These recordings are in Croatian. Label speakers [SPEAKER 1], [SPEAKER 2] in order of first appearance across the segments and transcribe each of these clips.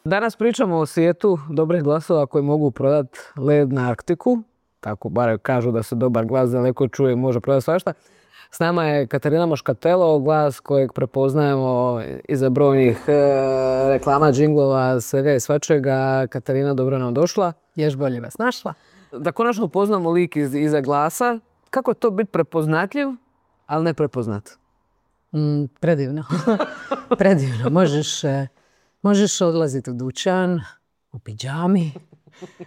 [SPEAKER 1] Danas pričamo o svijetu dobrih glasova koji mogu prodati led na Arktiku. Tako bar kažu da se dobar glas daleko čuje i može prodati svašta. S nama je Katarina Moškatelo, glas kojeg prepoznajemo iza brojnih reklama, džinglova, svega i svačega. Katarina, dobro nam došla.
[SPEAKER 2] Još bolje vas našla.
[SPEAKER 1] Da konačno upoznamo lik iza glasa. Kako je to biti prepoznatljiv, ali ne prepoznat?
[SPEAKER 2] Predivno. Predivno. Možeš odlaziti u dućan, u pidžami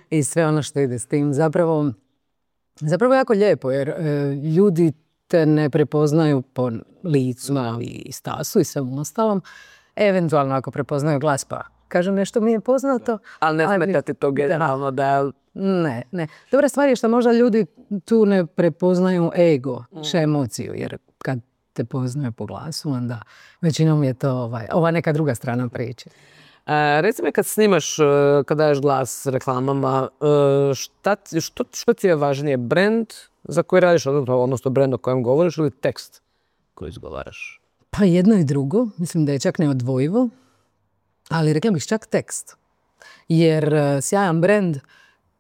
[SPEAKER 2] i sve ono što ide s tim. Zapravo jako lijepo jer ljudi te ne prepoznaju po licu i stasu i svem ostalom. Eventualno ako prepoznaju glas pa kažem nešto mi je poznato.
[SPEAKER 1] Ali ne smetati to generalno da...
[SPEAKER 2] Ne. Dobra stvar je što možda ljudi tu ne prepoznaju ego, emociju, jer kad te poznaju po glasu, onda većinom je to ova neka druga strana priče.
[SPEAKER 1] Reci mi kad snimaš, kad daješ glas reklamama, što ti je važnije? Brand za koji radiš, odnosno brand o kojem govoriš ili tekst koji izgovaraš?
[SPEAKER 2] Pa jedno i drugo. Mislim da je čak neodvojivo. Ali rekla bih čak tekst. Jer sjajan brand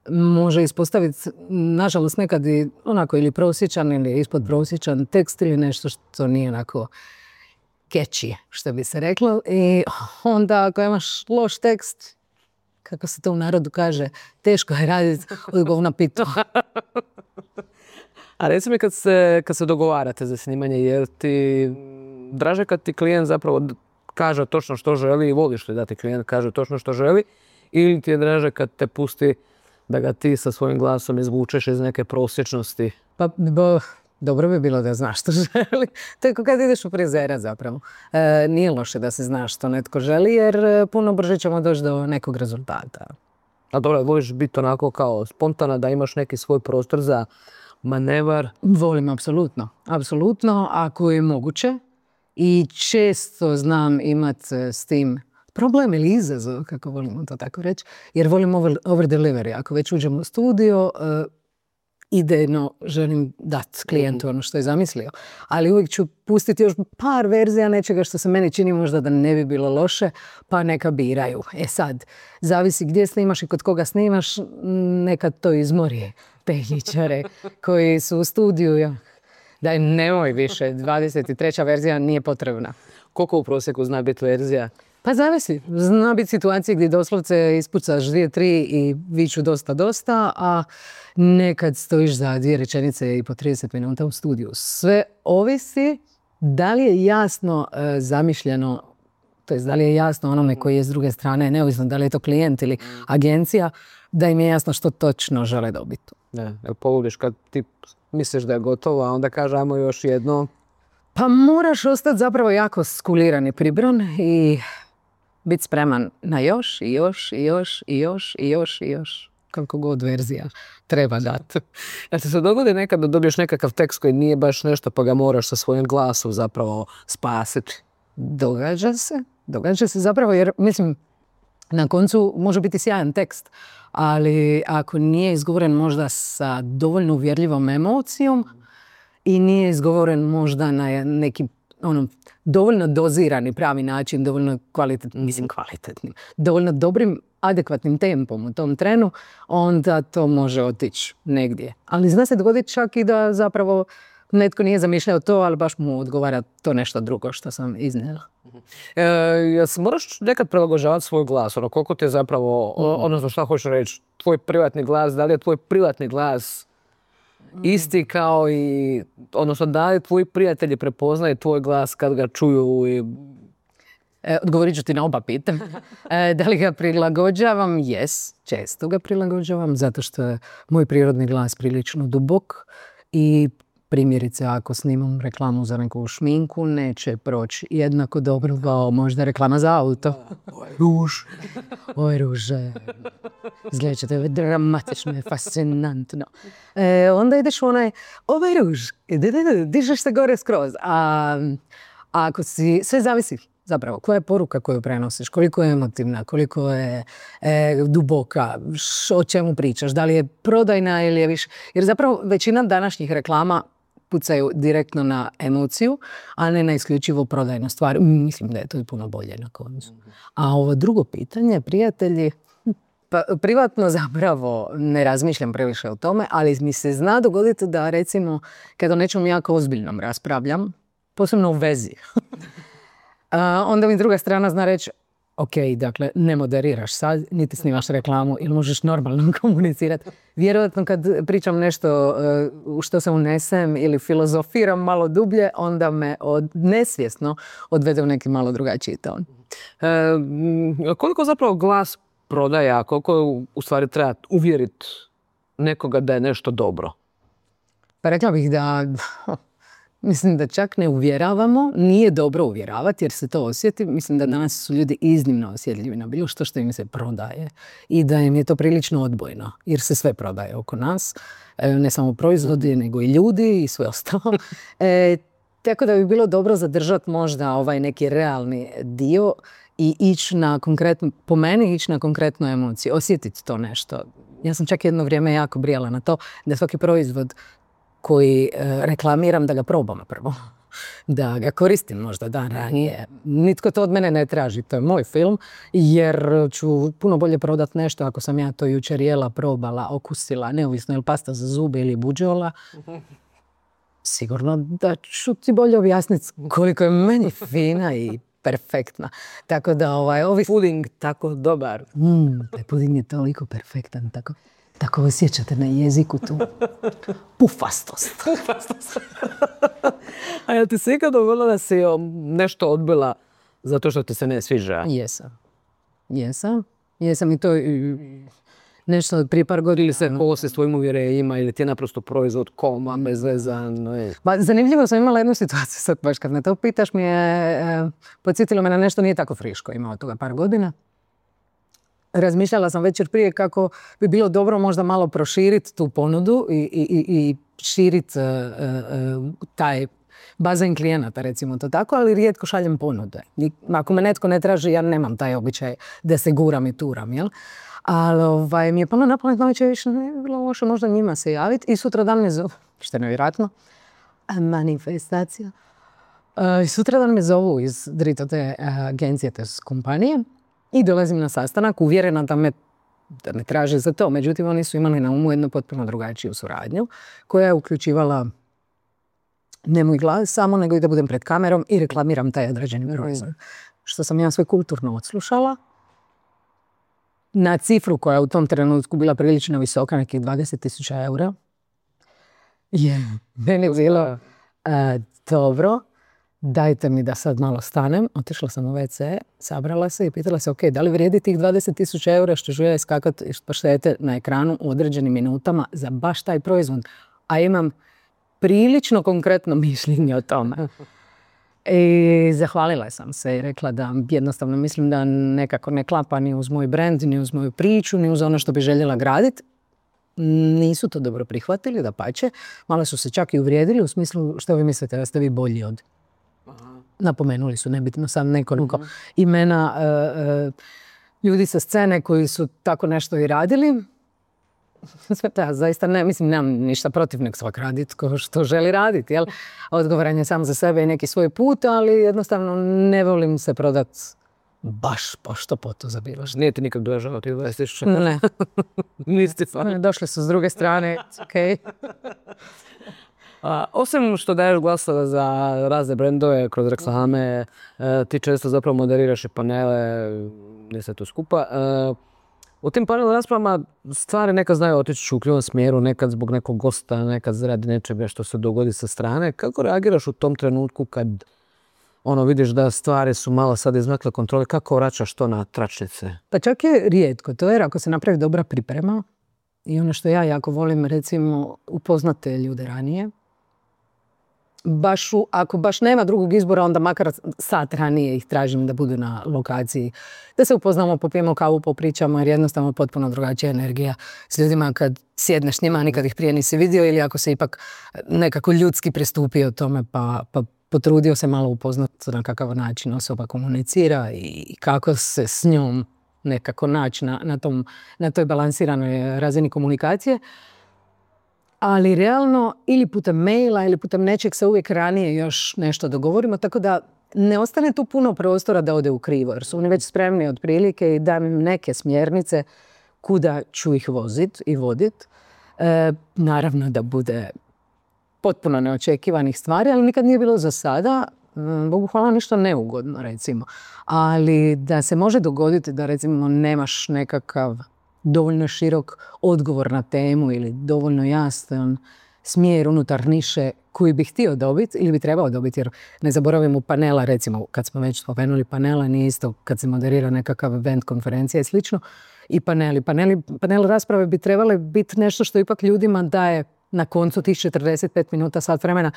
[SPEAKER 2] može ispostaviti, nažalost, nekad i onako ili prosječan ili ispod prosječan tekst ili nešto što nije onako catchy, što bi se reklo. I onda ako imaš loš tekst, kako se to u narodu kaže, teško je raditi od govna pitu.
[SPEAKER 1] A reci mi kad se dogovarate za snimanje, jer ti draže kad ti klijent zapravo kaže točno što želi i voliš li da ti klijent kaže točno što želi, ili ti je draže kad te pusti da ga ti sa svojim glasom izvučeš iz neke prosječnosti?
[SPEAKER 2] Pa dobro bi bilo da znaš što želi. To je kad ideš u frizera zapravo. Nije loše da se znaš što netko želi jer puno brže ćemo doći do nekog rezultata.
[SPEAKER 1] A dobro, voliš biti onako kao spontana, da imaš neki svoj prostor za manevar?
[SPEAKER 2] Volim, apsolutno, ako je moguće. I često znam imati s tim problem ili izazov, kako volimo to tako reći, jer volim over delivery. Ako već uđem u studio, idejno želim dati klijentu ono što je zamislio. Ali uvijek ću pustiti još par verzija nečega što se meni čini možda da ne bi bilo loše, pa neka biraju. Sad, zavisi gdje snimaš i kod koga snimaš, nekad to izmori tehničare koji su u studiju. Daj, nemoj više, 23. verzija nije potrebna.
[SPEAKER 1] Koliko u prosjeku zna biti verzija?
[SPEAKER 2] Pa zavisi. Zna biti situacije gdje doslovce ispucaš 2-3 i viču dosta, a nekad stojiš za 2 rečenice i po 30 minuta u studiju. Sve ovisi da li je jasno zamišljeno, to jest da li je jasno onome koji je s druge strane, neovisno da li je to klijent ili agencija, da im je jasno što točno žele dobiti.
[SPEAKER 1] Ne, poludiš kad ti misliš da je gotovo, a onda kaže ajmo još jedno.
[SPEAKER 2] Pa moraš ostati zapravo jako skuliran i pribran i biti spreman na još i još. Koliko god verzija treba dati.
[SPEAKER 1] Ja ti se dogodi nekad da dobiješ nekakav tekst koji nije baš nešto pa ga moraš sa svojim glasom zapravo spasiti?
[SPEAKER 2] Događa se zapravo jer mislim na koncu može biti sjajan tekst, ali ako nije izgovoren možda sa dovoljno uvjerljivom emocijom i nije izgovoren možda na neki dovoljno dozirani pravi način, dovoljno kvalitetnim, dovoljno dobrim, adekvatnim tempom u tom trenu, onda to može otići negdje. Ali zna se dogoditi čak i da zapravo netko nije zamišljao to, ali baš mu odgovara to nešto drugo što sam iznijela.
[SPEAKER 1] Moraš nekad prilagođavati svoj glas, koliko ti je zapravo, odnosno šta hoćeš reći, tvoj privatni glas, da li je tvoj privatni glas isti kao i, odnosno da li tvoji prijatelji prepoznaju tvoj glas kad ga čuju i...
[SPEAKER 2] Odgovorit ću ti na oba pitanja. Da li ga prilagođavam? Često ga prilagođavam, zato što je moj prirodni glas prilično dubok i primjerice ako snimam reklamu za neku šminku, neće proći jednako dobro kao možda reklama za auto. Oj ruže. Izgledat će to dramatično i fascinantno. Onda ideš u onaj, ruž, dižeš se gore skroz. A ako sve zavisi zapravo koja je poruka koju prenosiš, koliko je emotivna, koliko je duboka, o čemu pričaš, da li je prodajna ili je više. Jer zapravo većina današnjih reklama pucaju direktno na emociju, a ne na isključivo prodajnu stvar. Mislim da je to puno bolje na koncu. A ovo drugo pitanje, prijatelji, pa privatno zapravo ne razmišljam previše o tome, ali mi se zna dogoditi da recimo kad o nečem jako ozbiljnom raspravljam, posebno u vezi, onda mi druga strana zna reći ok, dakle, ne moderiraš sad, niti snimaš reklamu ili možeš normalno komunicirati. Vjerojatno kad pričam nešto u što se unesem ili filozofiram malo dublje, onda me nesvjesno odvede u neki malo drugačiji ton.
[SPEAKER 1] Koliko zapravo glas prodaja, koliko u stvari treba uvjeriti nekoga da je nešto dobro?
[SPEAKER 2] Pa rekla bih da mislim da čak ne uvjeravamo, nije dobro uvjeravati jer se to osjeti. Mislim da danas su ljudi iznimno osjetljivi na bilo što im se prodaje i da im je to prilično odbojno jer se sve prodaje oko nas. Ne samo proizvodi, nego i ljudi i sve ostalo. Tako da bi bilo dobro zadržati možda ovaj neki realni dio i ići na konkretnu, po meni ići na konkretnu emociju, osjetiti to nešto. Ja sam čak jedno vrijeme jako brijala na to da svaki proizvod koji reklamiram da ga probam prvo. Da ga koristim možda dan ranije. Nitko to od mene ne traži, to je moj film, jer ću puno bolje prodati nešto ako sam ja to jučer jela, probala, okusila, neovisno je li pasta za zube ili buđola. Sigurno da ću ti bolje objasniti koliko je meni fina i perfektna. Tako da ovi
[SPEAKER 1] Puding tako dobar.
[SPEAKER 2] Taj puding je toliko perfektan, tako osjećate na jeziku tu pufastost.
[SPEAKER 1] A jel ti se ikad dogodilo da si nešto odbila zato što ti se ne sviđa?
[SPEAKER 2] Jesam i to nešto prije par godina.
[SPEAKER 1] Ili se kosi s tvojim uvjerenjima ili ti je naprosto proizvod koma, bezvezan.
[SPEAKER 2] Zanimljivo sam imala jednu situaciju, sad baš kad me to pitaš, mi je podsjetilo me na nešto nije tako friško, imao toga par godina. Razmišljala sam večer prije kako bi bilo dobro možda malo proširiti tu ponudu i širiti taj bazen klijenata, recimo to tako, ali rijetko šaljem ponude. Ako me netko ne traži, ja nemam taj običaj da se guram i turam, jel? Ali mi je palo na pamet navečer, više ne bi bilo loše možda njima se javiti i sutra dan me zovu, što je nevjerojatno, manifestacija. Sutra dan me zovu iz te agencije, te kompanije i dolazim na sastanak, uvjerena da me traže za to. Međutim, oni su imali na umu jednu potpuno drugačiju suradnju koja je uključivala ne moj glas samo, nego i da budem pred kamerom i reklamiram taj određeni proizvod. Što sam ja sve kulturno odslušala na cifru koja je u tom trenutku bila prilično visoka, nekih 20.000 eura. Meni je bilo dobro, dajte mi da sad malo stanem. Otišla sam u WC, sabrala se i pitala se, ok, da li vrijedi tih 20.000 eura što ću ja iskakati i paštete na ekranu u određenim minutama za baš taj proizvod, a imam prilično konkretno mišljenje o tome. I zahvalila sam se i rekla da jednostavno mislim da nekako ne klapa ni uz moj brand, ni uz moju priču, ni uz ono što bi željela graditi. Nisu to dobro prihvatili, dapače. Malo su se čak i uvrijedili u smislu što vi mislite da ste vi bolji od. Napomenuli su nebitno sam nekoliko imena ljudi sa scene koji su tako nešto i radili. Da, zaista ne, mislim, nemam ništa protiv, nek svak raditi ko što želi raditi, jel? Odgovoran je sam za sebe i neki svoj put, ali jednostavno ne volim se prodati baš pošto poto za bilo što.
[SPEAKER 1] Nije ti nikak dožao tih 20.000?
[SPEAKER 2] Ne.
[SPEAKER 1] Nisi stvarno?
[SPEAKER 2] Došli su s druge strane, okej.
[SPEAKER 1] Osim što daješ glasove za razne brendove kroz reklame, ti često zapravo moderiraš i panele, gdje se to skupa. U tim panel raspravama stvari nekad znaju otići u krivom smjeru, nekad zbog nekog gosta, nekad radi nečega što se dogodi sa strane. Kako reagiraš u tom trenutku kad vidiš da stvari su malo sad izmakle kontrole, kako vraćaš to na tračnice? Pa
[SPEAKER 2] čak je rijetko to, jer ako se napravi dobra priprema i ono što ja jako volim, recimo, upoznate ljude ranije, ako baš nema drugog izbora, onda makar sat ranije ih tražim da budu na lokaciji. Da se upoznamo, popijemo kavu, popričamo, jer jednostavno potpuno drugačija energija s ljudima kad sjedneš s njima, a nikad ih prije nisi vidio, ili ako se ipak nekako ljudski pristupio tome pa potrudio se malo upoznati na kakav način osoba komunicira i kako se s njom nekako naći na toj balansiranoj razini komunikacije. ali realno ili putem maila ili putem nečeg se uvijek ranije još nešto dogovorimo, tako da ne ostane tu puno prostora da ode u krivo, jer su oni već spremni otprilike i dam im neke smjernice kuda ću ih vozit i vodit. Naravno da bude potpuno neočekivanih stvari, ali nikad nije bilo za sada, Bogu hvala, ništa neugodno recimo. Ali da se može dogoditi da recimo nemaš nekakav dovoljno širok odgovor na temu ili dovoljno jasan smjer unutar niše koji bi htio dobiti ili bi trebao dobiti, jer ne zaboravimo panela, recimo kad smo već spomenuli panela, nije isto kad se moderira nekakav event, konferencija i slično, i panel rasprave bi trebale biti nešto što ipak ljudima daje na koncu tih 45 minuta, sat vremena,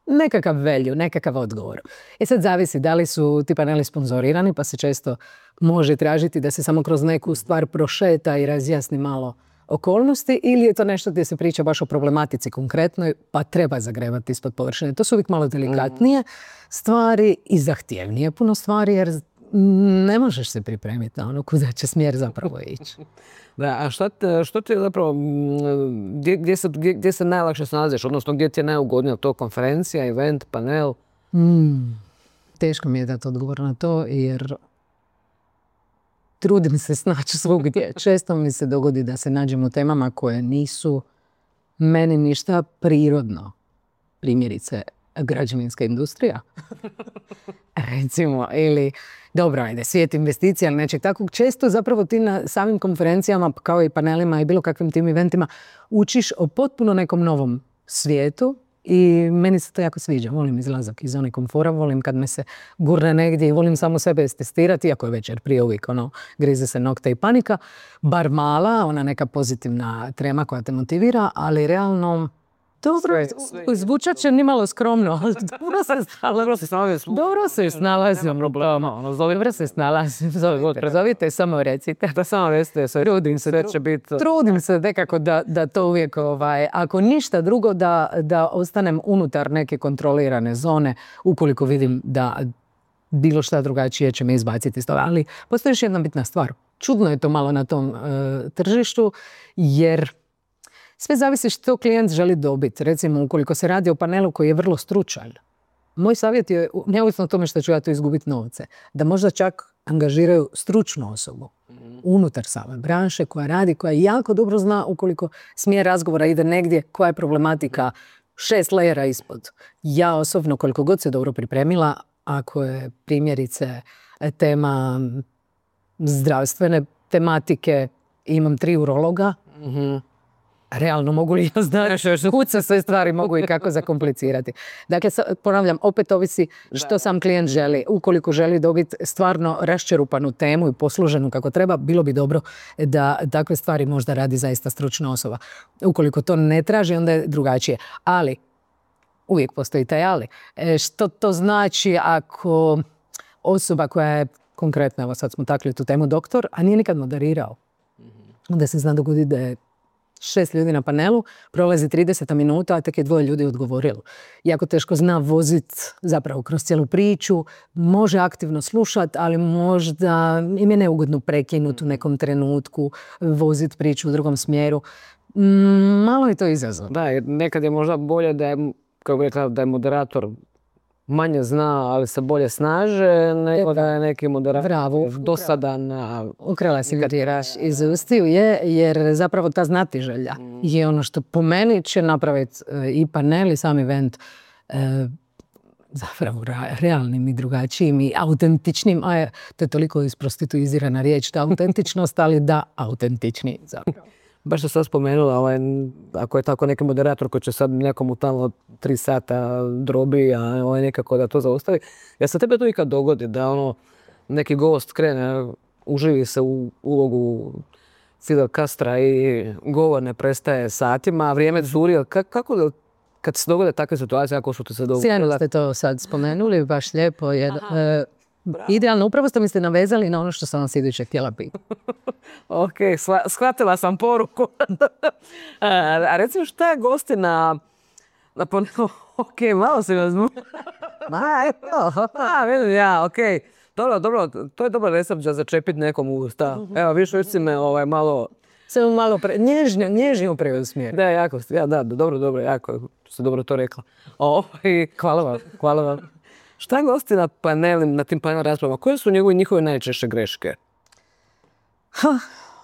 [SPEAKER 2] nekakav value, nekakav odgovor. Sad zavisi da li su ti paneli sponzorirani, pa se često može tražiti da se samo kroz neku stvar prošeta i razjasni malo okolnosti, ili je to nešto gdje se priča baš o problematici konkretnoj, pa treba zagrebati ispod površine. To su uvijek malo delikatnije stvari i zahtjevnije puno stvari, jer ne možeš se pripremiti na ono kuda će smjer zapravo ići.
[SPEAKER 1] Da, a što ti zapravo, gdje se najlakše snalaziš, odnosno gdje ti je najugodnije, to konferencija, event, panel?
[SPEAKER 2] Teško mi je dati odgovor na to, jer trudim se snaći svugdje. Često mi se dogodi da se nađem u temama koje nisu meni ništa prirodno. Primjerice, građevinska industrija. Recimo, ili dobro, ajde, svijet investicija ili nečeg takvog. Često zapravo ti na samim konferencijama, kao i panelima i bilo kakvim tim eventima, učiš o potpuno nekom novom svijetu i meni se to jako sviđa. Volim izlazak iz zone komfora, volim kad me se gurne negdje i volim samo sebe testirati, iako je večer prije uvijek grize se nokta i panika. Bar mala, ona neka pozitivna trema koja te motivira, ali realno zvučat će nimalo skromno, ali dobro se snalazim. Dobro se snalazim. Zovite, samo recite.
[SPEAKER 1] Da samo recite,
[SPEAKER 2] Trudim se nekako da to uvijek, ako ništa drugo, da ostanem unutar neke kontrolirane zone, ukoliko vidim da bilo šta drugačije će me izbaciti iz toga. Ali postoji još jedna bitna stvar. Čudno je to malo na tom tržištu, jer sve zavisi što klijent želi dobiti. Recimo, ukoliko se radi o panelu koji je vrlo stručan, moj savjet je, neovisno o tome što ću ja tu izgubiti novce, da možda čak angažiraju stručnu osobu unutar same branše koja radi, koja jako dobro zna ukoliko smjer razgovora ide negdje, koja je problematika 6 lejera ispod. Ja osobno, koliko god se dobro pripremila, ako je primjerice tema zdravstvene tematike, imam 3 urologa, realno mogu li ja znaš kud se sve stvari mogu i kako zakomplicirati. Dakle, ponavljam, opet ovisi što sam klijent želi. Ukoliko želi dobiti stvarno raščerupanu temu i posluženu kako treba, bilo bi dobro da takve stvari možda radi zaista stručna osoba. Ukoliko to ne traži, onda je drugačije. Ali, uvijek postoji taj ali. Što to znači ako osoba koja je konkretno, evo sad smo takli tu temu, doktor, a nije nikad moderirao, onda se zna dogoditi da je 6 ljudi na panelu, prolazi 30 minuta, a tek je 2 ljudi odgovorilo. Jako teško zna voziti zapravo kroz cijelu priču, može aktivno slušati, ali možda im je neugodno prekinuti u nekom trenutku, voziti priču u drugom smjeru. Malo je to izazov.
[SPEAKER 1] Da, jer nekad je možda bolje da je, kako bi rekla, da je moderator manje zna, ali se bolje snaže, nego da je neki moderator dosadan.
[SPEAKER 2] Ukrala si kad je raš iz ustiju, jer zapravo ta znatiželja je ono što po meni će napraviti i panel i sam event zapravo realnim i drugačijim i autentičnim, a to je toliko isprostituizirana riječ, ta autentičnost, ali da, autentični zapravo.
[SPEAKER 1] Baš što sam spomenula, ako je tako neki moderator koji će sad nekomu tamo 3 sata drobi, a nekako da to zaustavi. Ja se tebe to ikad dogodi da neki gost krene, uživi se u ulogu Fidel Castra i govor ne prestaje satima, a vrijeme curi. Kako kad se dogode takve situacije, ako su ti se dogodile?
[SPEAKER 2] Sjajno ste to sad spomenuli, baš lijepo. Idealno, upravo ste mi se navezali na ono što sam vas iduće htjela pitati.
[SPEAKER 1] Ok, shvatila sam poruku. A recimo šta je gosti na panelu? Ok, malo se vas vidim ja, ok. Dobro, to je dobar recept za začepiti nekom usta. Evo, viš si me malo
[SPEAKER 2] Samo malo nježnije preusmjeri.
[SPEAKER 1] Da, jako, dobro, jako ste dobro to rekla. Hvala vam. Šta gosti na tim panel raspravama? Koje su njihove najčešće greške?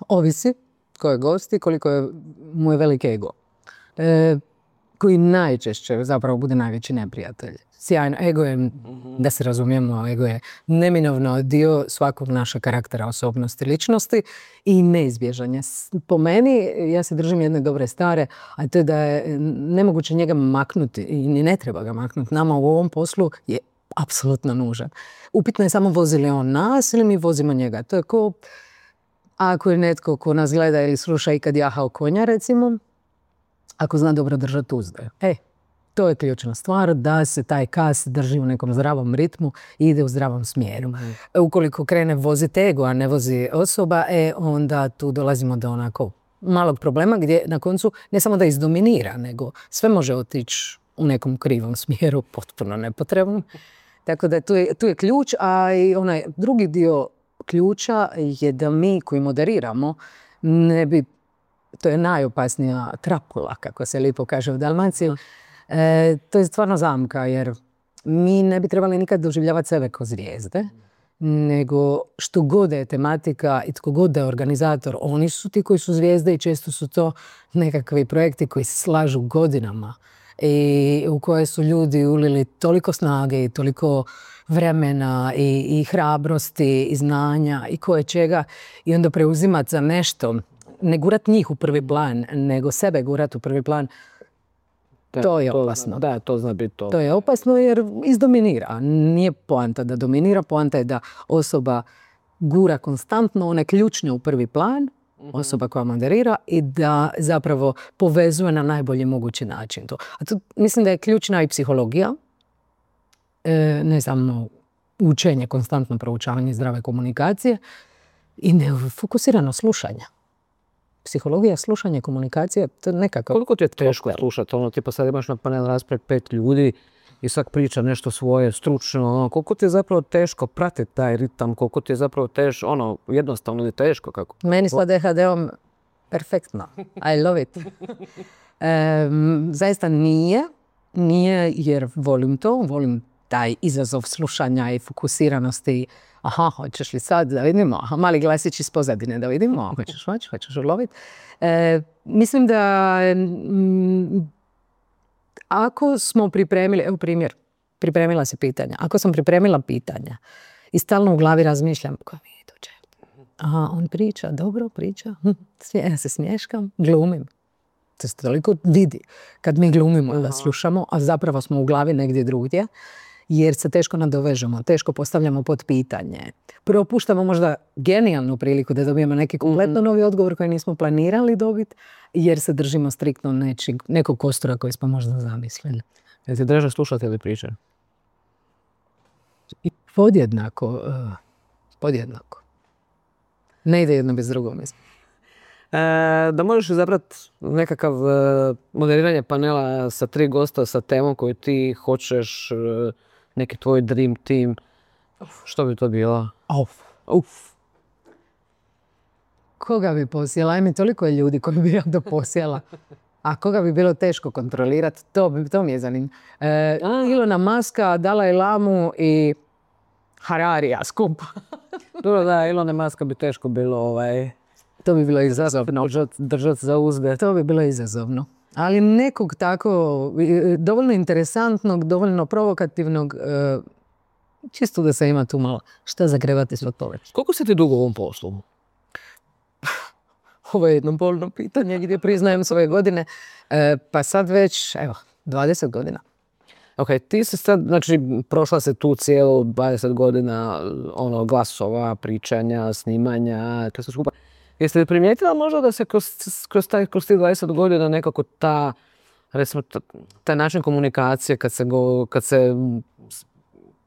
[SPEAKER 2] Ovisi ko je gost i koliko mu je velik ego. Koji najčešće zapravo bude najveći neprijatelj. Sjajno, ego je, da se razumijemo, ego je neminovno dio svakog našeg karaktera, osobnosti, ličnosti i neizbježanje. Po meni, ja se držim jedne dobre stare, a to je da je nemoguće njega maknuti i ni ne treba ga maknuti. Nama u ovom poslu je apsolutno nužan. Upitno je samo vozi li on nas ili mi vozimo njega. To je ko ako je netko ko nas gleda ili sluša i kad jahao konja, recimo, ako zna dobro držati uzde. To je ključna stvar, da se taj kas drži u nekom zdravom ritmu i ide u zdravom smjeru. Ukoliko krene voziti ego, a ne vozi osoba, onda tu dolazimo do onako malog problema gdje na koncu ne samo da izdominira, nego sve može otići u nekom krivom smjeru, potpuno nepotrebno. Tako da tu je ključ, a i onaj drugi dio ključa je da mi koji moderiramo ne bi, to je najopasnija trapula, kako se lijepo kaže u Dalmaciji, to je stvarno zamka, jer mi ne bi trebali nikad doživljavati sebe kao zvijezde, nego što god je tematika i tko god je organizator, oni su ti koji su zvijezde i često su to nekakvi projekti koji se slažu godinama i u koje su ljudi ulili toliko snage i toliko vremena i hrabrosti i znanja i koje čega i onda preuzimati za nešto, ne gurat njih u prvi plan, nego sebe gurat u prvi plan. To je opasno.
[SPEAKER 1] Da, to zna biti to.
[SPEAKER 2] To je opasno jer izdominira. Nije poanta da dominira, poanta je da osoba gura konstantno one ključne u prvi plan, osoba koja moderira, i da zapravo povezuje na najbolji mogući način to. A tu mislim da je ključna i psihologija, ne samo učenje, konstantno proučavanje zdrave komunikacije i nefokusirano slušanje. Psihologija, slušanje, komunikacija, to je nekako...
[SPEAKER 1] Koliko ti je teško slušati? Tipa sad imaš na panel raspravi 5 ljudi i svak priča nešto svoje, stručno. Koliko ti je zapravo teško pratiti taj ritam? Koliko ti je zapravo teško, jednostavno ili teško? Kako?
[SPEAKER 2] Meni s ADHD-om perfektno. I love it. Zaista nije jer volim to, volim taj izazov slušanja i fokusiranosti. Aha, hoćeš li sad da vidimo? Aha, mali glasić iz pozadine da vidimo. Hoćeš uloviti? Mislim da ako smo pripremili, evo primjer, pripremila si pitanja. Ako sam pripremila pitanja i stalno u glavi razmišljam koja mi dođe. Aha, on priča, dobro priča. Ja se smješkam, glumim. To se toliko vidi kad mi glumimo da slušamo, a zapravo smo u glavi negdje drugdje. Jer se teško nadovežemo, teško postavljamo pod pitanje. Propuštamo možda genijalnu priliku da dobijemo neki kompletno novi odgovor koji nismo planirali dobiti, jer se držimo striktno nekog kostura koji smo možda zamislili.
[SPEAKER 1] Jel ti draže slušati ili pričati?
[SPEAKER 2] Podjednako. Ne ide jedno bez drugog, mislim.
[SPEAKER 1] Da možeš izabrati nekakav moderiranje panela sa 3 gosta sa temom koju ti hoćeš, neki tvoj dream team, što bi to bilo?
[SPEAKER 2] Koga bi posjela? Ajme, toliko je ljudi koji bi ja to posjela. A koga bi bilo teško kontrolirati, to mi je zanimljivo. Ilona Muska, Dalaj Lamu i Hararija skupa.
[SPEAKER 1] Dobro, da, Ilona Muska bi teško bilo
[SPEAKER 2] To bi bilo izazovno.
[SPEAKER 1] Držati za uzde.
[SPEAKER 2] To bi bilo izazovno. Ali nekog tako dovoljno interesantnog, dovoljno provokativnog, čisto da se ima tu malo šta zagrevati svoj povrć.
[SPEAKER 1] Koliko si ti dugo u ovom poslu?
[SPEAKER 2] Ovo je jedno bolno pitanje gdje priznajem svoje godine. Pa sad već, 20 godina.
[SPEAKER 1] Ok, ti si sad, znači, prošla se tu cijelu 20 godina glasova, pričanja, snimanja, to se skupa. Jeste li primijetila možda da se kroz tih 20 godina nekako taj način komunikacije kad se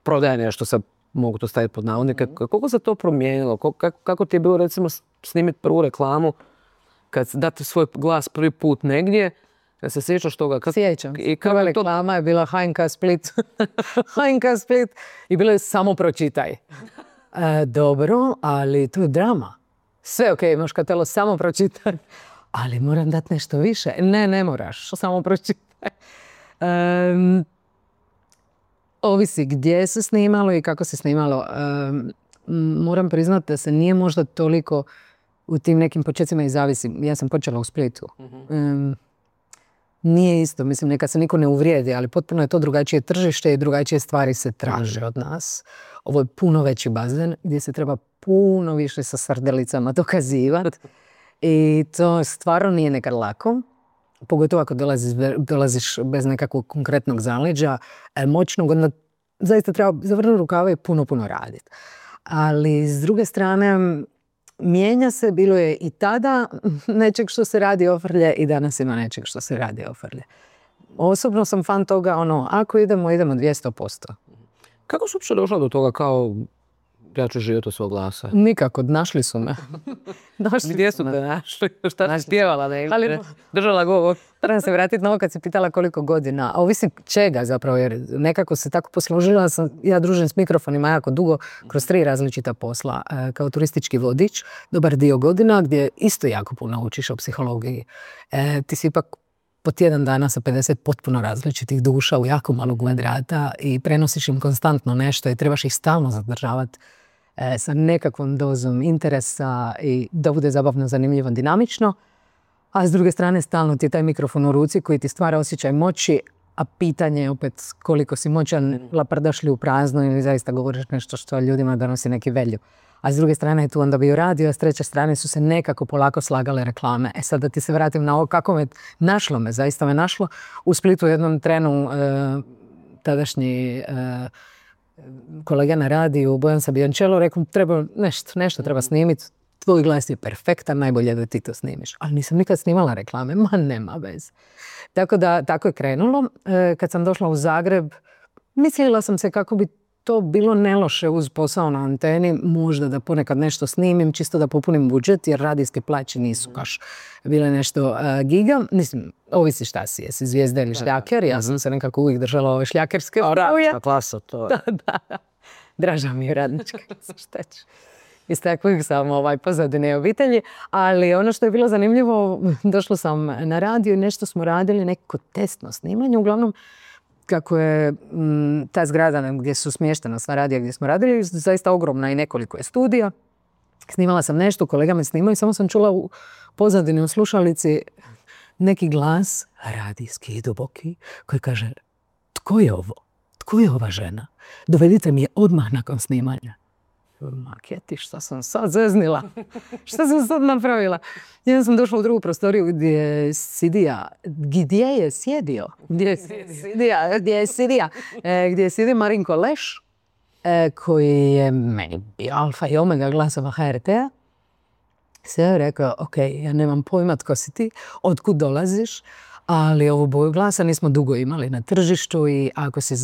[SPEAKER 1] prodaje nešto, sad mogu to staviti pod navodnike, koliko se to promijenilo? Kako ti je bilo recimo snimiti prvu reklamu, kad date svoj glas prvi put negdje, kad se sjećaš toga?
[SPEAKER 2] Sjećam. Prva reklama je bila HNK Split. HNK Split i bilo je samo pročitaj. Dobro, ali to je drama. sve ok, Moškatelo, samo pročitaj. Ali moram dati nešto više. Ne moraš, samo pročitaj. Ovisi gdje se snimalo i kako se snimalo. Moram priznati da se nije možda toliko u tim nekim početcima i zavisi. Ja sam počela u Splitu. Nije isto, mislim, neka se niko ne uvrijedi, ali potpuno je to drugačije tržište i drugačije stvari se traže od nas. Ovo je puno veći bazen gdje se treba puno više sa srdelicama dokazivati. I to stvarno nije nekad lako. Pogotovo ako dolaziš bez nekakvog konkretnog zaleđa, moćnog, onda zaista treba zavrnuti rukave i puno raditi. Ali s druge strane, mijenja se, bilo je i tada nečeg što se radi ofrlje i danas ima nečeg što se radi ofrlje. Osobno sam fan toga, ako idemo 200%.
[SPEAKER 1] Kako su uopće došla do toga kao ja ću živjeti od svog glasa?
[SPEAKER 2] Nikako, našli su me.
[SPEAKER 1] Gdje su te našli? Šta si pjevala? Držala govor?
[SPEAKER 2] Trebam se vratiti na ovo kad si pitala koliko godina. A ovisi čega zapravo, jer nekako se tako posložila. Ja družim s mikrofonima jako dugo, kroz 3 različita posla. Kao turistički vodič, dobar dio godina, gdje isto jako puno učiš o psihologiji. Ti si ipak po tjedan dana sa 50 potpuno različitih duša u jako malo kvadrata i prenosiš im konstantno nešto i trebaš ih stalno zadržavati sa nekakvom dozom interesa i da bude zabavno, zanimljivo, dinamično. A s druge strane stalno ti je taj mikrofon u ruci koji ti stvara osjećaj moći, a pitanje je opet koliko si moćan, laprdaš li u prazno ili zaista govoriš nešto što ljudima donosi neki value. A s druge strane je tu onda bio radio, a s treće strane su se nekako polako slagale reklame. Sad da ti se vratim na ovo kako zaista me našlo. U Splitu u jednom trenu tadašnji kolega na radiju, Bojan Sabijančelo, rekao treba nešto treba snimiti. Tvoj glas je perfektan, najbolje da ti to snimiš. Ali nisam nikad snimala reklame, nema veze. Tako da, tako je krenulo. Kad sam došla u Zagreb, mislila sam se kako bi to bilo neloše uz posao na anteni, možda da ponekad nešto snimim, čisto da popunim budžet, jer radijske plaće nisu baš bile nešto giga. Mislim, ovisi šta si, jesi zvijezda ili šljaker, ja sam se nekako uvijek držala ove šljakerske.
[SPEAKER 1] Radnička klasa, to je.
[SPEAKER 2] Da. Draža mi je radnička klasa, šta ću. Iz takvih sam pozadine obitelji, ali ono što je bilo zanimljivo, došla sam na radio i nešto smo radili, neko testno snimanje, uglavnom kako je ta zgrada gdje su smještena sva radija gdje smo radili, zaista ogromna i nekoliko je studija. Snimala sam nešto, kolega me snimao i samo sam čula u pozadini u slušalici neki glas, radijski i duboki, koji kaže: tko je ovo? Tko je ova žena? Dovedite mi je odmah nakon snimanja. Maketi, šta sam sad zeznila? Šta sam sad napravila? Ja sam došla u drugu prostoriju gdje je sjedio Marinko Leš, koji je meni bio alfa i omega glasova HRT-a. Sve je rekao, ok, ja nemam pojma tko si ti, otkud dolaziš, ali ovu boju glasa nismo dugo imali na tržištu i ako si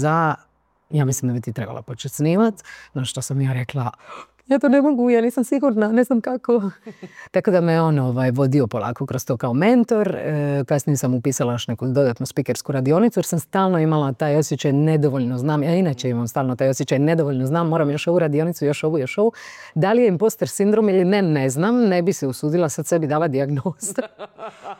[SPEAKER 2] ja mislim da bi ti trebala početi snimat. No što sam ja rekla, ja to ne mogu, ja nisam sigurna, ne znam kako. Tako da me on vodio polako kroz to kao mentor. Kasnije sam upisala još neku dodatnu spikersku radionicu jer sam stalno imala taj osjećaj nedovoljno znam. Ja inače imam stalno taj osjećaj nedovoljno znam, moram još ovu radionicu, još ovu. Da li je imposter sindrom ili ne znam, ne bi se usudila sad sebi dala dijagnozu.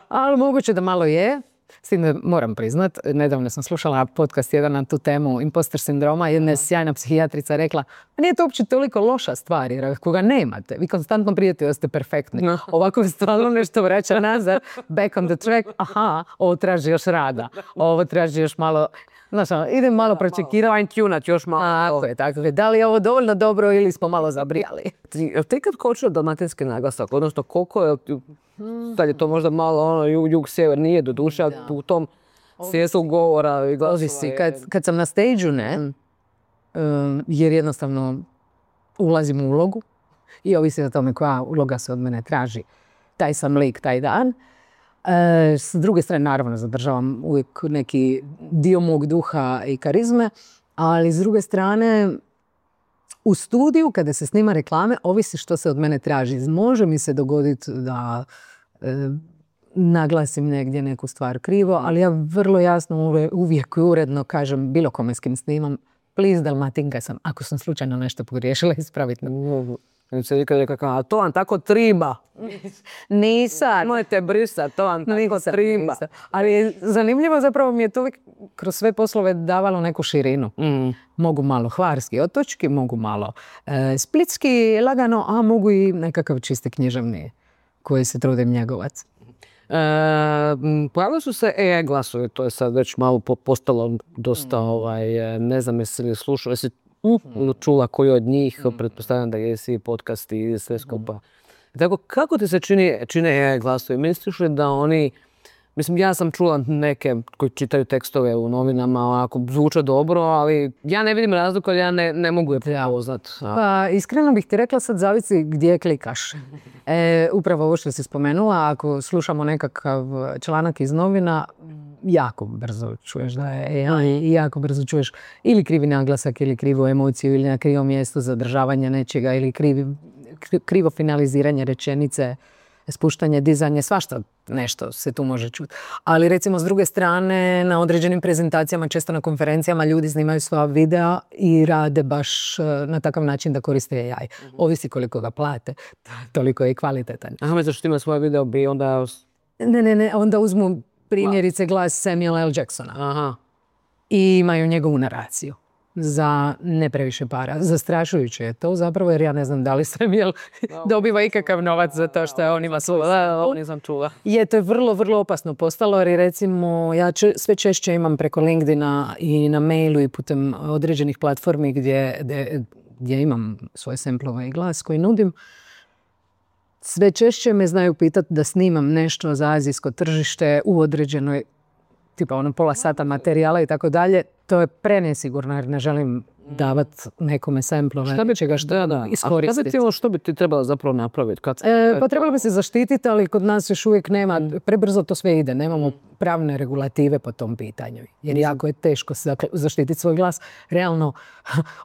[SPEAKER 2] Ali moguće da malo je. S tim da moram priznat, nedavno sam slušala podcast jedan na tu temu imposter sindroma, jedna je sjajna psihijatrica rekla, nije to uopće toliko loša stvar, jer ako ga nemate, vi konstantno prijete da ste perfektni. Ovako je stvarno nešto vraća nazad, back on the track, aha, ovo traži još rada, ovo traži još malo, znaš, idem malo pročekirati.
[SPEAKER 1] Fine tunat još malo.
[SPEAKER 2] Tako je. Da li je ovo dovoljno dobro ili smo malo zabrijali?
[SPEAKER 1] Ti kad kočio dalmatinski naglasak, odnosno koliko je, sad je to možda malo jug-sjever, nije do duše, u tom svijestu govora i glasova.
[SPEAKER 2] Ovisi, kad sam na stage-u jer jednostavno ulazim u ulogu i ovisi o tome koja uloga se od mene traži. Taj sam lik, taj dan. S druge strane, naravno, zadržavam uvijek neki dio mog duha i karizme, ali s druge strane, u studiju, kada se snima reklame, ovisi što se od mene traži. Može mi se dogoditi da naglasim negdje neku stvar krivo, ali ja vrlo jasno uvijek uredno kažem bilo kome s kim snimam, please, Dalmatinka sam, ako sam slučajno nešto pogriješila, ispraviti.
[SPEAKER 1] Se nikad rekao, a to vam tako triba.
[SPEAKER 2] Nisam.
[SPEAKER 1] Mojete brisat, to vam tako triba.
[SPEAKER 2] Ali zanimljivo zapravo mi je to uvijek kroz sve poslove davalo neku širinu. Mogu malo hvarski, otočki, mogu malo splitski, lagano, a mogu i nekakav čisti književni koji se trudim njegovati.
[SPEAKER 1] Pojavili su se AI glasovi, to je sad već malo postalo dosta, ne znam jesi li slušao, jesi čula koji od njih, pretpostavljam da jesi podcast i sve skupa. Tako, kako ti se čine AI glasovi? Misliš li da oni, mislim, ja sam čula neke koji čitaju tekstove u novinama, ako zvuče dobro, ali ja ne vidim razliku, ali ja ne mogu je prepoznat.
[SPEAKER 2] Pa, iskreno bih ti rekla, sad zavisi gdje klikaš. Upravo ovo što si spomenula, ako slušamo nekakav članak iz novina, jako brzo čuješ da je AI i jako brzo čuješ ili krivi naglasak, ili krivu emociju, ili na krivom mjestu zadržavanje nečega, ili krivo finaliziranje rečenice, spuštanje, dizanje, svašta nešto se tu može čuti. Ali recimo s druge strane na određenim prezentacijama, često na konferencijama ljudi snimaju svoja videa i rade baš na takav način da koriste AI. Ovisi koliko ga plate, toliko je i kvalitetan.
[SPEAKER 1] Aha, misliš što ima svoj video bi onda...
[SPEAKER 2] Ne, onda uzmu primjerice glas Samuela L. Jacksona.
[SPEAKER 1] Aha.
[SPEAKER 2] I imaju njegovu naraciju. Za ne previše para. Zastrašujuće je to zapravo jer ja ne znam da li Samuel dobiva ikakav novac za to što on ima svoju.
[SPEAKER 1] Ovo nisam čula.
[SPEAKER 2] To je vrlo, vrlo opasno postalo jer recimo ja sve češće imam preko LinkedIna i na mailu i putem određenih platformi gdje imam svoje samplove i glas koji nudim. Sve češće me znaju pitati da snimam nešto za azijsko tržište u određenoj tipa pola sata materijala i tako dalje. To je prenesigurno jer ne želim davati nekome samplove čega što iskoristiti.
[SPEAKER 1] A što bi ti trebalo zapravo napraviti?
[SPEAKER 2] Pa trebalo bi se zaštititi, ali kod nas još uvijek nema, prebrzo to sve ide, nemamo pravne regulative po tom pitanju. Jer jako je teško zaštititi svoj glas. Realno,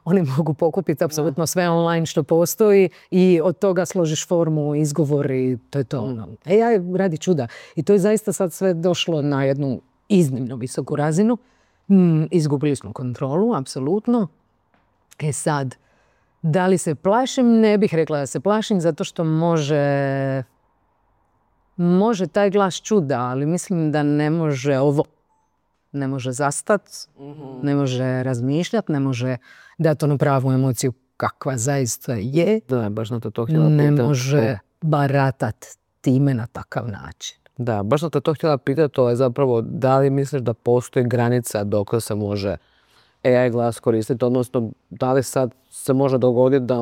[SPEAKER 2] oni mogu pokupiti apsolutno sve online što postoji i od toga složiš formu, izgovor i to je to. AI radi čuda. I to je zaista sad sve došlo na jednu iznimno visoku razinu. Izgubili smo kontrolu, apsolutno. Sad, da li se plašim? Ne bih rekla da se plašim, zato što može taj glas čuda, ali mislim da ne može ovo. Ne može zastat, ne može razmišljati, ne može dati onu pravu emociju kakva zaista je.
[SPEAKER 1] Da, baš na to htjela pitati.
[SPEAKER 2] Ne može baratat time na takav način.
[SPEAKER 1] Da, baš sam te to htjela pitati, to je zapravo da li misliš da postoji granica dok se može AI glas koristiti, odnosno da li sad se može dogoditi da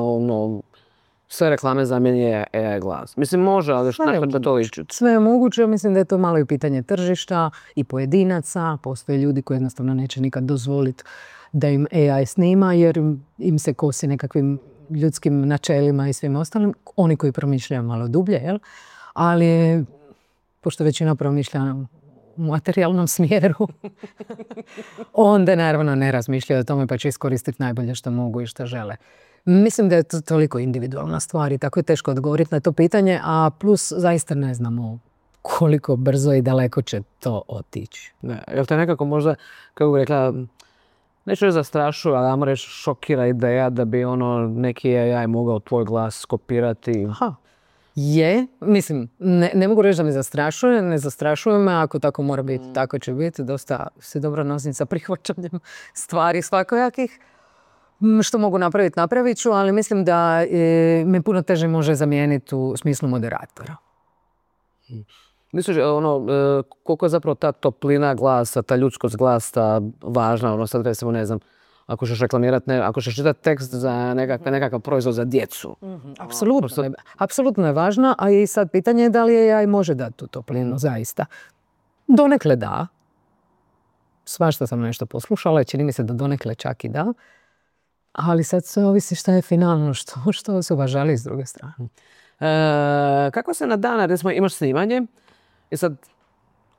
[SPEAKER 1] sve reklame zamijeni AI glas. Mislim može, ali što da to liči?
[SPEAKER 2] Sve je moguće, mislim da je to malo i pitanje tržišta i pojedinaca, postoje ljudi koji jednostavno neće nikad dozvoliti da im AI snima jer im se kosi nekakvim ljudskim načelima i svim ostalim, oni koji promišljaju malo dublje, jel? Ali pošto većina promišlja u materijalnom smjeru, onda naravno ne razmišljaju o tome pa će iskoristiti najbolje što mogu i što žele. Mislim da je to toliko individualna stvar i tako je teško odgovoriti na to pitanje, a plus zaista ne znamo koliko brzo i daleko će to otići.
[SPEAKER 1] Jel te nekako možda, kako bih rekla, neću reći zastrašuje, ali ajmo reći šokira ideja da bi neki AI mogao tvoj glas skopirati?
[SPEAKER 2] Mislim, ne mogu reći da me zastrašuje, ne zastrašuje me, ako tako mora biti, tako će biti, dosta se dobro nosim sa prihvaćanjem stvari svakojakih. Što mogu napraviti, napravit ću, ali mislim da me puno teže može zamijeniti u smislu moderatora.
[SPEAKER 1] Misliš, koliko je zapravo ta toplina glasa, ta ljudskost glasa važna, sad recimo, ne znam, ako ćeš reklamirati, ako ćeš čitati tekst za nekakav proizvod za djecu.
[SPEAKER 2] Apsolutno je važna, a i sad pitanje je da li AI može dati tu toplinu, zaista. Donekle da. Svašta sam nešto poslušala, čini mi se da donekle čak i da. Ali sad sve ovisi šta je finalno, što osoba želi s druge strane.
[SPEAKER 1] Kako se na dan, recimo imaš snimanje i sad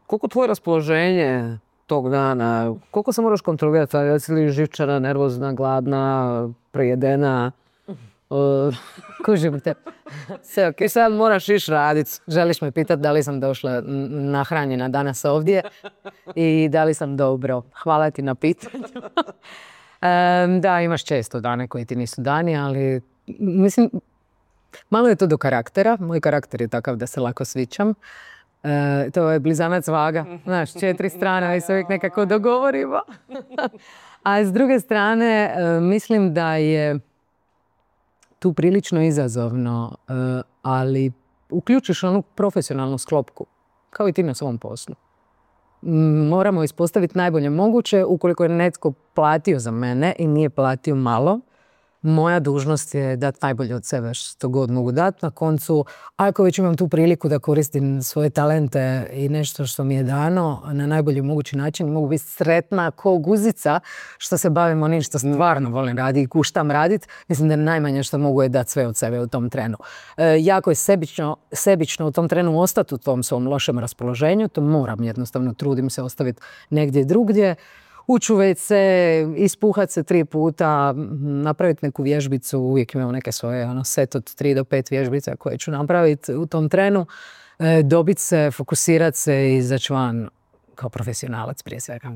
[SPEAKER 1] koliko tvoje raspoloženje tog dana, koliko se moraš kontrolirati, jesi li živčana, nervozna, gladna, prejedena?
[SPEAKER 2] Kužim te. Sve ok.
[SPEAKER 1] I sad moraš ići raditi.
[SPEAKER 2] Želiš me pitati da li sam došla nahranjena danas ovdje i da li sam dobro. Hvala ti na pitanju. Da, imaš često dane koji ti nisu dani, ali mislim, Malo je to do karaktera. Moj karakter je takav da se lako svičam. To je blizanac vaga. Znaš, 4 strane i se uvijek nekako dogovorimo. A s druge strane, mislim da je tu prilično izazovno, ali uključiš onu profesionalnu sklopku, kao i ti na svom poslu. Moramo ispostaviti najbolje moguće. Ukoliko je netko platio za mene i nije platio malo, moja dužnost je dati najbolje od sebe što god mogu dati. Na koncu, ako već imam tu priliku da koristim svoje talente i nešto što mi je dano na najbolji mogući način, mogu biti sretna ko guzica što se bavim onim što stvarno volim raditi i kuštam raditi. Mislim da najmanje što mogu je dati sve od sebe u tom trenu. Jako je sebično u tom trenu ostati u tom svom lošem raspoloženju. To moram jednostavno, trudim se ostaviti negdje drugdje. Ući u WC, ispuhat se 3 puta, napraviti neku vježbicu, uvijek imam neke svoje set od 3 do 5 vježbica koje ću napraviti u tom trenu, dobiti se, fokusirati se i izaći van kao profesionalac prije svega.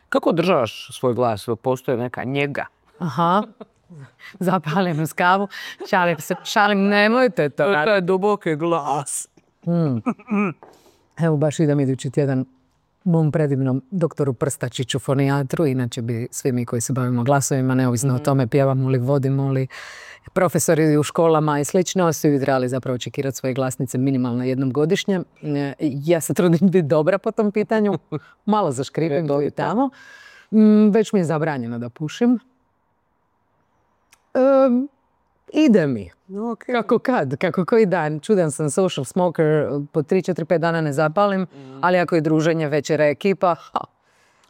[SPEAKER 1] Kako održavaš svoj glas? Postoje neka njega?
[SPEAKER 2] Aha, zapalim uz kavu, šalim, nemojte to.
[SPEAKER 1] To je duboki glas.
[SPEAKER 2] Evo baš idem idući tjedan mom predivnom doktoru Prstačiću, fonijatru, inače bi svi mi koji se bavimo glasovima, neovisno o tome pjevamo li, vodimo li, profesori u školama i slično, svi bi trebali zapravo čekirati svoje glasnice minimalno jednom godišnje. Ja se trudim biti dobra po tom pitanju, malo zaškripim ovdje tamo. Već mi je zabranjeno da pušim. Ide mi.
[SPEAKER 1] Okay.
[SPEAKER 2] Kako koji dan. Čudan sam social smoker, po 3-4-5 dana ne zapalim, ali ako je druženje, večera, ekipa,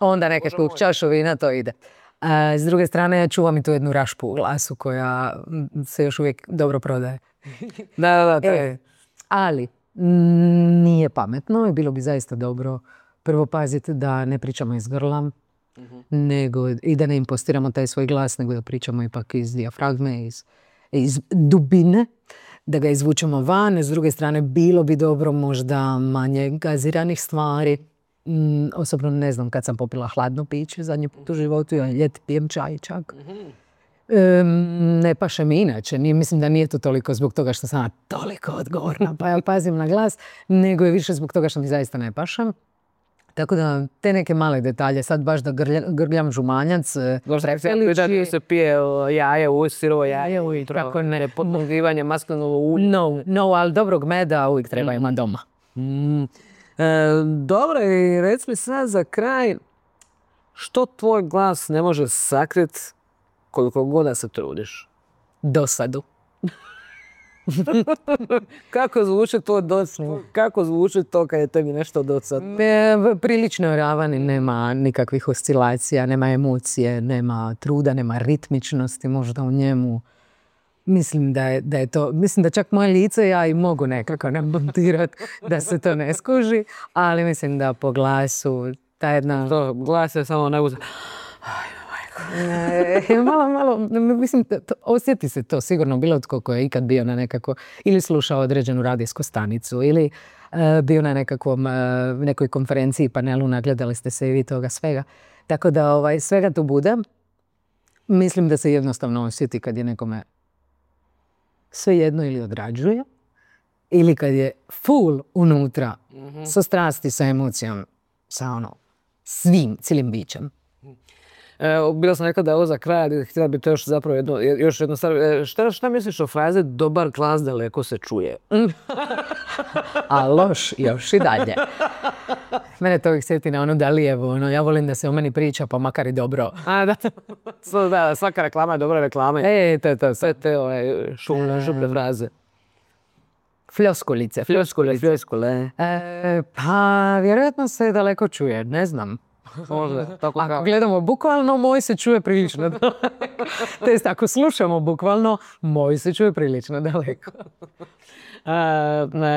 [SPEAKER 2] onda nekako čašu vina, to ide. S druge strane, čuvam i tu jednu rašpu u glasu koja se još uvijek dobro prodaje.
[SPEAKER 1] Da, to je.
[SPEAKER 2] Ali nije pametno i bilo bi zaista dobro prvo paziti da ne pričamo iz grla, nego i da ne impostiramo taj svoj glas, nego da pričamo ipak iz dijafragme, iz dubine, da ga izvučemo van. S druge strane, bilo bi dobro možda manje gaziranih stvari. Osobno ne znam kad sam popila hladno piće zadnji put u životu, ja ljeti pijem čaj čak. Ne paše mi inače, mislim da nije to toliko zbog toga što sam toliko odgovorna pa ja pazim na glas, nego je više zbog toga što mi zaista ne pašem. Tako da te neke male detalje, sad baš da grljam žumanjac,
[SPEAKER 1] Da se pije jaje, sirovo jaje ujutro, tako ne, podmogivanje maslinovo ulje.
[SPEAKER 2] No, ali dobrog meda uvijek treba ima doma.
[SPEAKER 1] Dobro, i reci mi sad za kraj, što tvoj glas ne može sakriti koliko god da se trudiš?
[SPEAKER 2] Dosadu.
[SPEAKER 1] Kako zvuči to dosadno? Kako zvuči to kad je tebi nešto dosadno?
[SPEAKER 2] Prilično je ravan i nema nikakvih oscilacija, nema emocije, nema truda, nema ritmičnosti možda u njemu. Mislim da je to, mislim da čak moje lice ja i mogu nekako namontirati da se to ne skuži, ali mislim da po glasu ta jedna...
[SPEAKER 1] To glas je samo najbolje.
[SPEAKER 2] Malo, mislim, osjeti se to sigurno bilo tko ko je ikad bio na nekako, ili slušao određenu radijsku stanicu, ili bio na nekoj konferenciji, panelu, nagledali ste se i vi toga svega. Tako da svega tu bude. Mislim da se jednostavno osjeti kad je nekome sve jedno ili odrađuje, ili kad je full unutra, sa strasti, sa emocijom, sa svim, cijelim bićem.
[SPEAKER 1] Bila sam rekla da je ovo za kraj, ali htjela bi to još jedno stvar. Šta misliš o fraze dobar glas daleko se čuje?
[SPEAKER 2] A loš još i dalje. Mene to uvijek sjeti na ono Dalijevo. Ja volim da se o meni priča, pa makar i dobro.
[SPEAKER 1] Da, svaka reklama je dobra reklama.
[SPEAKER 2] To.
[SPEAKER 1] Sve te šuple fraze.
[SPEAKER 2] Floskulice.
[SPEAKER 1] Floskule.
[SPEAKER 2] Pa vjerojatno se daleko čuje, ne znam. Ako gledamo bukvalno, moj se čuje prilično daleko. Test, ako slušamo bukvalno, moj se čuje prilično daleko.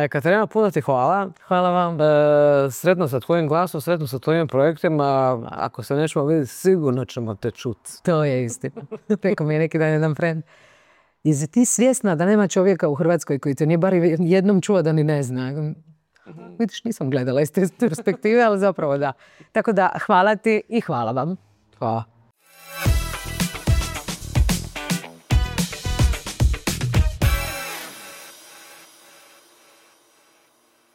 [SPEAKER 1] Katarina, puno ti hvala.
[SPEAKER 2] Hvala vam.
[SPEAKER 1] Sretno sa tvojim glasom, sretno sa tvojim projektima. Ako se nećemo vidjeti, sigurno ćemo te čuti.
[SPEAKER 2] To je istina. Rekao mi je neki dan jedan friend. Jesi ti svjesna da nema čovjeka u Hrvatskoj koji te nije bar jednom čuo da ni ne zna? Vidiš, nisam gledala iz te perspektive, ali zapravo da. Tako da, hvala ti i hvala vam.
[SPEAKER 1] Hvala.